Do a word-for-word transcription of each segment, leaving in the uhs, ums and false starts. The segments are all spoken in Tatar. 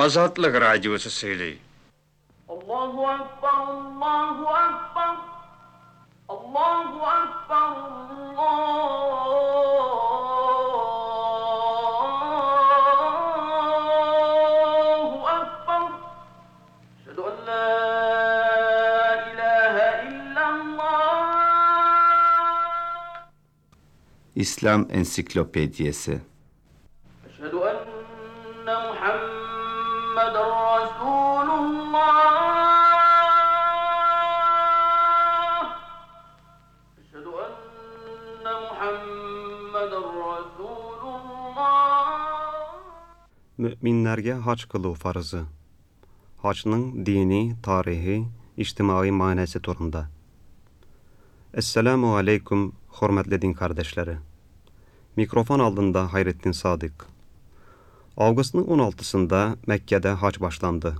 Азатлык радиосы сөйли. Allahu Akbar, Allahu Akbar, Allahu Akbar, Allahu Akbar. Eşhedü en la ilahe illallah. İslam Ensiklopediyesi. Eşhedü enne Muhammeden Resulullah. Eşhedü enne Muhammeden Resulullah. Müminlərə hac qıluv farzı. Hacның dini, tarihi, ictimai mənası turunda. Esselamu aleykum, hörmətli din kardeşleri. Mikrofon aldında Hayrettin Sadık. Avqustun on altısında Məkkədə hac başlandı.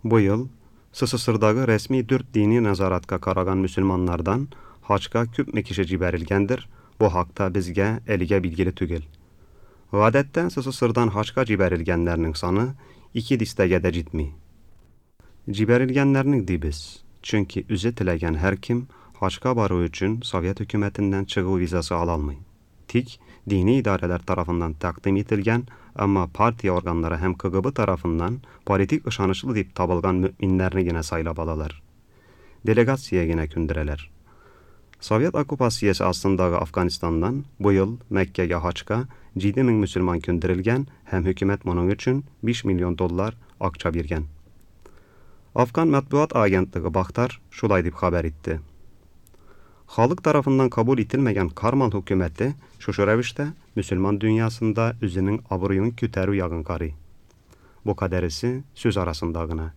Bu yıl S S S R-dagı resmi dörd dini nəzaratka qaragan müsəlmanlardan hacqa köpmü kişi cibərilgəndir. Bu haqda bizgə əligə bilgili tügül. Adətdə S S S R-dan hacqa cibərilgənlərinin sanı iki distəgə də citmi. Cibərilgənlərinin deybiz. Çünki üzü tiləgən hər kim hacqa barı üçün Sovet hökumətindən çıxu vizası alalmay. Tik dini idarələr tarafından təqdim etilgən, amma partiya orqanları həm K G B tarafından politik ışanışlı deyib tabılğan müminlərini yenə saylab alalar. Delegasiya yenə kündürələr. Sovet okupasiyası astındağı Afganistandan bu yıl Məkkəyə hacqa yeddi min müsəlman kündürülgən, həm hökumət bunun üçün beş milyon dollar aqça vergən. Afgan Mətbuat Agentliyi Baxtar şulay deyib xəbər etdi. Xalq tarafından kabul etilməyən Karmal hökuməti şuşu rəvişdə müsəlman dünyasında özünün abruyun kütərü yağın qarı. Bu qədərisi söz arasındağına.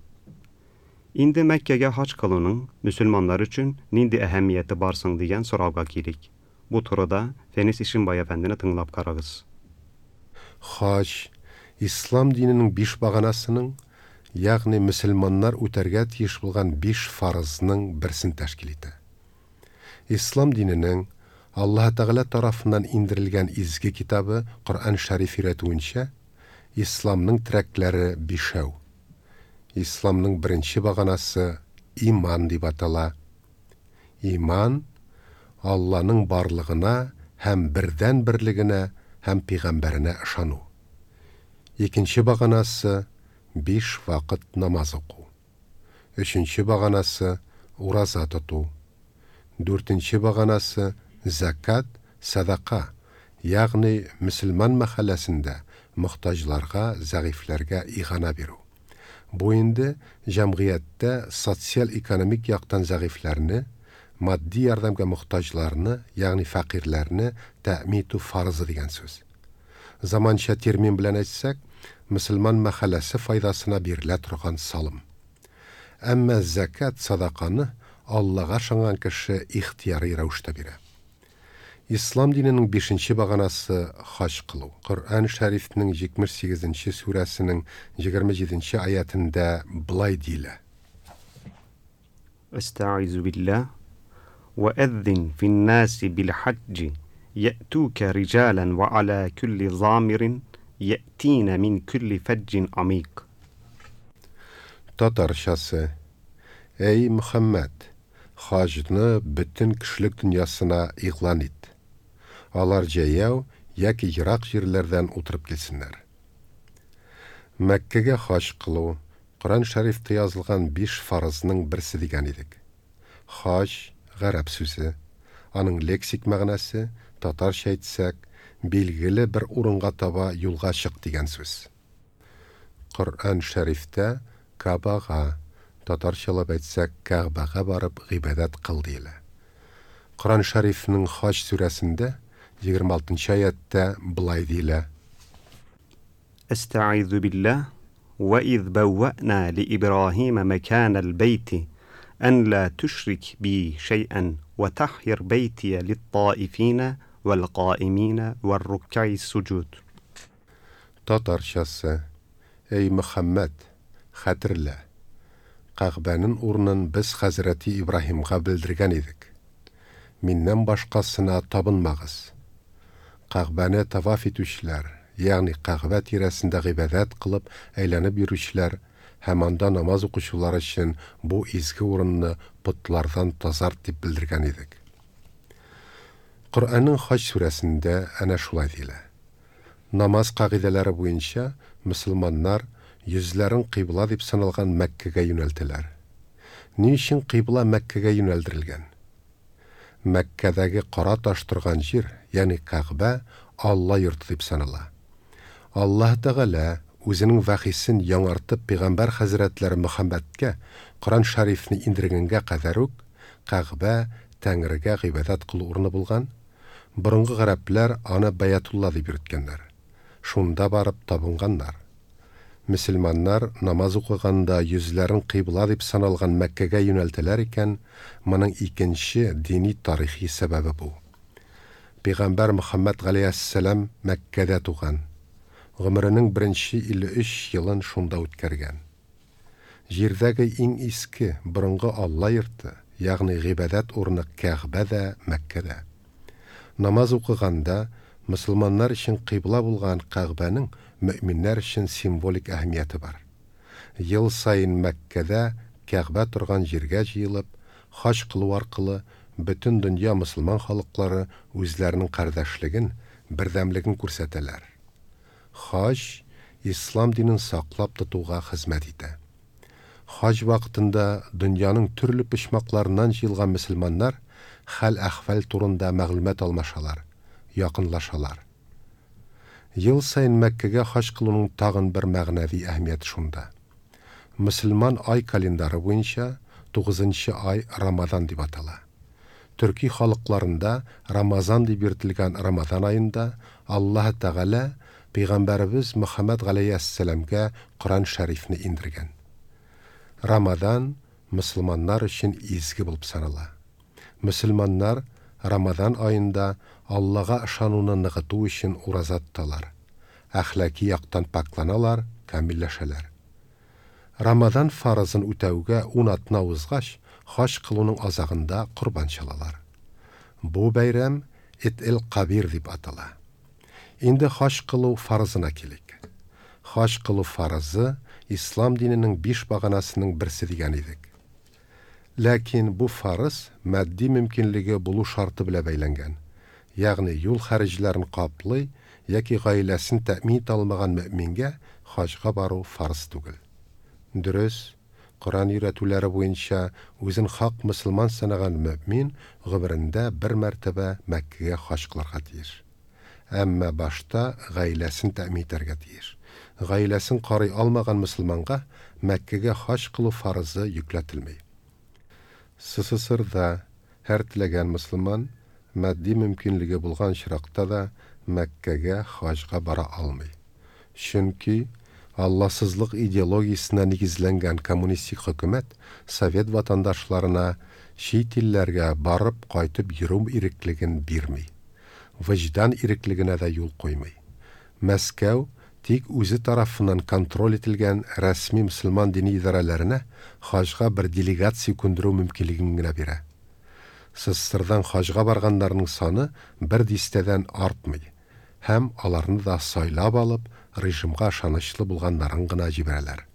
İndi Məkkəyə hac qılının müsəlmanlar üçün nindi əhəmiyyəti barsın deyən soravqa girik. Bu turada Fenis İşimbay əfəndini tınglap qarağız. Hac, İslam dininin beş bağanasının, yagni müsəlmanlar үтәргә тиеш булган биш фарызның берсен тәшкил итә. İslam dininin Аллаһ Тәгалә тарафыннан индерелгән изге китабы Коръән Шәриф өйрәтүенчә, исламның терәкләре бишәү. Исламның беренче баганасы иман дип атала. Иман Алланың барлыгына һәм бердән берлегенә һәм пәйгамбәренә ышану. Икенче баганасы биш вакыт намаз уку. Өченче баганасы ураза тоту. Дүртенче баганасы закат, садака, ягъни мөселман мәхәлләсендә мохтаҗларга, зәгыйфьләргә игана бирү. Бу инде җәмгыятьтә социаль-экономик яктан зәгыйфьләрне, матди ярдәмгә мохтаҗларны, ягъни фәкыйрьләрне тәэмин итү фарызы дигән сүз. Заманча термин белән әйтсәк, мөселман мәхәлләсе файдасына бирелә торган салым. Әмма закат, садаканы Аллаһка ышанган кеше ихтыяри рәвештә бирә. Ислам диненең бишенче баганасы хаҗ кылу. Коръән Шәрифнең җитмеш сигезенче сүрәсенең егерме җиденче аятында былай диелә. Estaizu billah. Ve ezzin fin-nasi bil hacci ye'tuke rijalan ve ala kulli zamirin ye'tine min kulli feccin amik. Tatarçası. Ey Muhammed, hacını bütün kişilik dünyasına iğlan et. Алар җәяү яки ерак җирләрдән утырып килсеннәр. Мәккәгә хаҗ кылу Коръән Шәрифтә язылган биш фарызның берсе дигән идек. Хаҗ гарәп сүзе, аның лексик мәгънәсе татарча әйтсәк, билгеле бер урынга таба юлга чык дигән сүз. Коръән Шәрифтә Кабага, татарчалап әйтсәк, Кәгъбәгә барып гыйбадәт кыл диелә. Коръән Шәрифнең Хаҗ сүрәсендә егерме алтынчы аятта былай диелә. Estaizu billah. Ve iz bevve'na li İbrahim mekanel beyti en la tüşrik bi şey'en ve tahhir beytiye lit-taifine vel-qaimine ve'r-rukka'i sucud. Tatarçası. Ey Muhammed, хәтерлә. Кәгъбәнең урынын без Хәзрәти Ибраһимга белдергән идек. Миннән башкасына табынмагыз. Кәгъбәне таваф итүчеләр, ягъни Кәгъбә тирәсендә гыйбадәт кылып әйләнеп йөрүчеләр һәм анда намаз укучылар өчен бу изге урынны потлардан тазарт дип белдергән идек. Коръәннең Хаҗ сүрәсендә әнә шулай диелә. Намаз кагыйдәләре буенча мөселманнар йөзләрен кыйбла дип саналган Мәккәгә юнәлтәләр. Ни өчен кыйбла Мәккәгә юнәлдерелгән? Мәккәдәге кара таш торган җир, ягъни Кәгъбә, Алла йорты дип санала. Аллаһ Тәгалә үзенең вәхисен яңартып пәйгамбәр хәзрәтләре Мөхәммәдкә Коръән шәрифне индергәнгә кадәр үк Кәгъбә Тәңрегә гыйбадәт кылу урыны булган. Борынгы гарәпләр аны Бәятулла дип йөрткәннәр. Шунда барып табынганнар. Мөселманнар намаз укыганда йөзләрен кыйбла дип саналган Мәккәгә юнәлтәләр икән, моның икенче дини тарихи сәбәбе бу. Пәйгамбәр Мөхәммәд галәйһиссәлам Мәккәдә туган. Гомеренең беренче илле өч елын шунда үткәргән. Җирдәге иң иске, борынгы Алла йорты, ягъни гыйбадәт урыны Кәгъбә дә Мәккәдә. Намаз укыганда мөселманнар өчен кыйбла булган Кәгъбәнең мөэминнәр өчен символик әһәмияте бар. Ел саен Мәккәдә Кәгъбә торган җиргә җыелып, хаҗ кылу аркылы бөтен дөнья мөселман халыклары үзләренең кардәшлеген, бердәмлеген күрсәтәләр. Хаҗ ислам динен саклап тотуга хезмәт итә. Хаҗ вакытында дөньяның төрле почмакларыннан җыелган мөселманнар хәл-әхвәл турында мәгълүмат алмашалар, якынлашалар. Ел саен Мәккәгә хаҗ кылуның тагын бер мәгънәви әһәмияте шунда. Мөселман ай календары буенча тугызынчы ай Рамазан дип атала. Төрки халыкларында Рамазан дип йөртелгән Рамазан аенда Аллаһ Тәгалә Пәйгамбәребез Мөхәммәд галәйһиссәламгә Коръән шәрифне индергән. Рамазан мөселманнар өчен изге булып санала. Мөселманнар Рамазан аенда Аллаһка ышануны ныгыту өчен ураза тоталар. Әхлаки яктан пакланалар, камилләшәләр. Рамазан фарызын үтәүгә ун атна узгач, хаҗ кылуның азагында корбан чалалар. Бу бәйрәм Ид-эл-Кабир дип атала. Инде хаҗ кылу фарызына килик. Хаҗ кылу фарызы ислам диненең биш баганасының берсе дигән идек. Ләкин бу фарыз матди мөмкинлеге булу шарты белән бәйләнгән. Ягъни юл хәреҗләрен каплый яки гаиләсен тәэмин итә алмаган мөэмингә хаҗга бару фарыз түгел. Дөрес, Коръән өйрәтүләре буенча үзен хак мөселман санаган мөэмин гомерендә бер мәртәбә Мәккәгә хаҗ кылырга тиеш. Әмма башта гаиләсен тәэмин итәргә тиеш. Гаиләсен карый алмаган мөселманга Мәккәгә хаҗ кылу фарызы йөкләтелми. СССРда һәр теләгән мөселман матди мөмкинлеге булган очракта да Мәккәгә хаҗга бара алмый. Чөнки Алласызлык идеологиясенә нигезләнгән коммунистик хөкүмәт совет ватандашларына чит илләргә барып кайтып йөрү иреклеген бирми. Вөҗдан иреклегенә дә юл куймый. Мәскәү тик үзе тарафыннан контроль ителгән рәсми мөселман дини идарәләренә хаҗга бер делегация күндерү мөмкинлеген генә бирә. СССРдан хаҗга барганнарның саны бер дистәдән артмый һәм аларны да сайлап алып, режимга ышанычлы булганнарын гына җибәрәләр.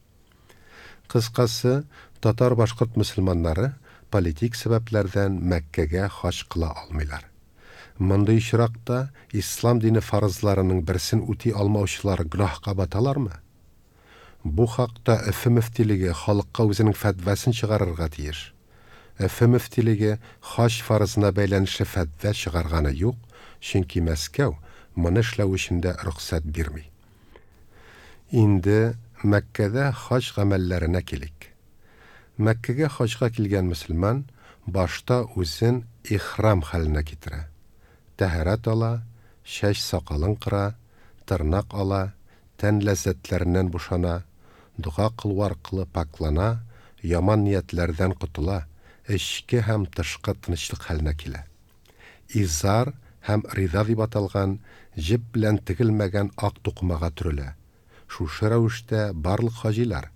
Кыскасы, татар-башкорт мөселманнары политик сәбәпләрдән Мәккәгә хаҗ кыла алмыйлар. Мондый очракта ислам дине фарызларының берсен үти алмаучылар гөнаһка баталармы? Бу хакта Өфе мөфтилеге халыкка үзенең фәтвасын чыгарырга тиеш. Өфе мөфтилеге хаҗ фарызына бәйләнешле фәтва чыгарганы юк, чөнки Мәскәү моны эшләү өчен дә рөхсәт бирми. Инде Мәккәдә хаҗ гамәлләренә килик. Мәккәгә хаҗга килгән мөселман башта үзен ихрам хәленә китерә. Тәһарәт ала, чәч сакалын кыра, тырнак ала, тән ләззәтләреннән бушана, дога кылу аркылы паклана, яман ниятләрдән котыла, эчке һәм тышкы тынычлык хәленә килә. Изар һәм рида дип аталган җеп белән тегелмәгән ак тукымага төрелә. Шушы рәвештә барлык хаҗилар,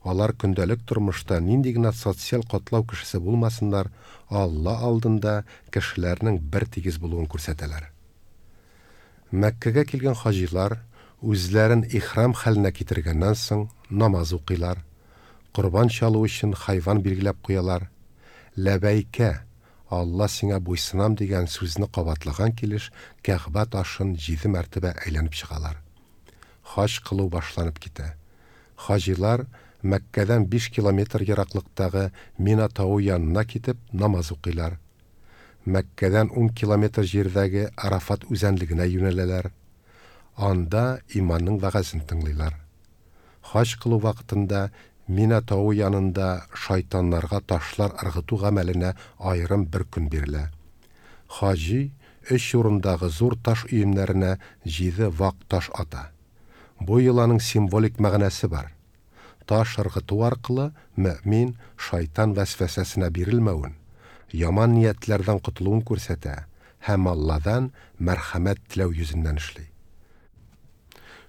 алар көндәлек тормышта нинди генә социаль катлау кешесе булмасыннар, Алла алдында кешеләрнең бер тигез булуын күрсәтәләр. Мәккәгә килгән хаҗилар Үзләрен ихрам хәленә китергәннән соң намаз укыйлар. Корбан чалу өчен хайван билгеләп куялар. Ләбәйкә, Алла сиңа буйсынам дигән сүзне кабатлаган килеш Кәгъбә ташын җиде мәртәбә әйләнеп чыгалар. Хаҗ кылу башланып китә. Хаҗилар Мәккәдән биш километр ераклыктагы Мина тавы янына китеп намаз укыйлар. Мәккәдән ун километр җирдәге Арафат үзәнлегенә юнәләләр. Анда имамның вәгазен тыңлыйлар. Хаҗ кылу вакытында Мина тавы янында шайтаннарга ташлар ыргыту гамәленә аерым бер көн бирелә. Хаҗи өч урындагы зур таш өемнәренә җиде вак таш ата. Бу йоланың символик мәгънәсе бар. Таш ыргыту аркылы мөмин шайтан вәсвәсәсенә бирелмәвен, яман ниятләрдән котылуын күрсәтә һәм Алладан мәрхәмәт теләү йөзеннән эшли.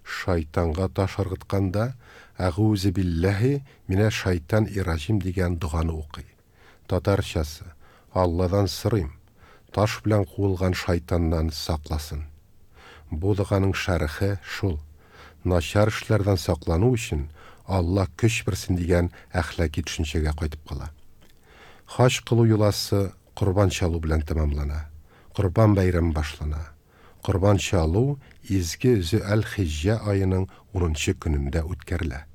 Шайтанга таш ыргытканда Әгузе билләһи минә шайтан ираҗим дигән доганы укый. Татарчасы: Алладан сорыйм, таш белән куылган шайтаннан сакласын. Бу доганың шәрехе шул: начар эшләрдән саклану өчен Алла көч бирсен дигән әхлаки төшенчәгә кайтып кала. Хаҗ кылу йоласы корбан чалу белән тәмамлана. Корбан бәйрәме башлана. Корбан чалу изге Зөлхиҗҗә аеның унынчы көнендә үткәрелә.